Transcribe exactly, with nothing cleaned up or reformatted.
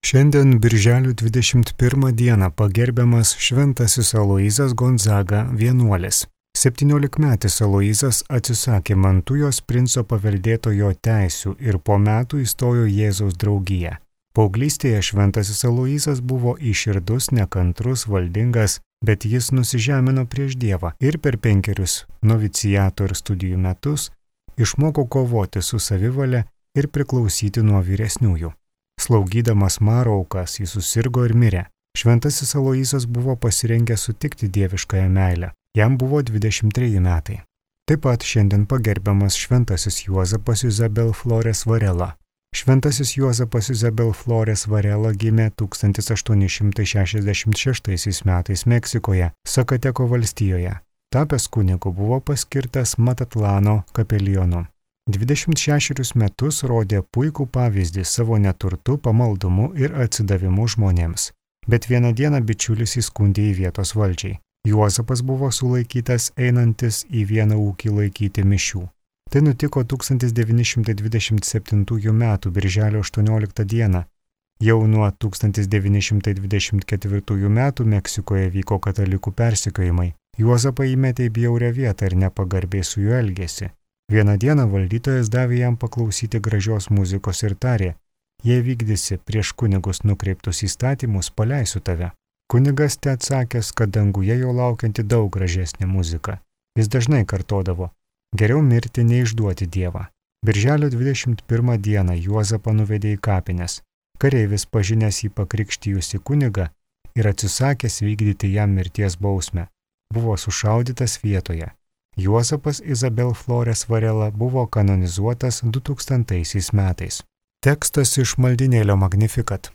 Šiandien birželio dvidešimt pirmą dieną pagerbiamas šventasis Aloyzas Gonzaga vienuolis. septyniolikmetis Aloyzas atsisakė Mantujos princo paveldėtojo teisių ir po metų įstojo Jėzaus draugiją. Paauglystėje šventasis Aloyzas buvo įširdus, nekantrus, valdingas, bet jis nusižemino prieš Dievą ir per penkerius noviciato ir studijų metus išmoko kovoti su savivale ir priklausyti nuo vyresniųjų. Slaugydamas Maro aukas jis susirgo ir mirė. Šventasis Aloyzas buvo pasirengęs sutikti dieviškąją meilę. Jam buvo dvidešimt treji metai. Taip pat šiandien pagerbiamas šventasis Juozapas Izabel Flores Varela. Šventasis Juozapas Izabel Flores Varela gimė tūkstantis aštuoni šimtai šešiasdešimt šeštaisiais metais Meksikoje, Sakateko valstijoje. Tapęs kunigu buvo paskirtas Matatlano kapelionu. dvidešimt šešerius metus rodė puikų pavyzdį savo neturtu, pamaldumu ir atsidavimu žmonėms. Bet vieną dieną bičiulis įskundė į vietos valdžiai. Juozapas buvo sulaikytas einantis į vieną ūkį laikyti mišių. Tai nutiko tūkstantis devyni šimtai dvidešimt septintųjų metų birželio aštuonioliktą dieną. Jau nuo tūkstantis devyni šimtai dvidešimt ketvirtųjų metų Meksikoje vyko katalikų persekiojimai. Juozapą įmetė į bjaurią vietą ir nepagarbiai su juo elgėsi. Vieną dieną valdytojas davė jam paklausyti gražios muzikos ir tarė: jei vykdysi prieš kunigus nukreiptus įstatymus, paleisiu tave. Kunigas te atsakęs, kad danguje jo laukianti daug gražesnė muzika. Jis dažnai kartodavo: geriau mirti neišduoti Dievą. Birželio dvidešimt pirmą dieną Juozapą nuvedė į kapines. Kareivis pažinęs jį pakrikštijusi kunigą ir atsisakęs vykdyti jam mirties bausmę, buvo sušaudytas vietoje. Juozapas Izabel Flores Varela buvo kanonizuotas du tūkstantaisiais metais. Tekstas iš maldynėlio Magnificat.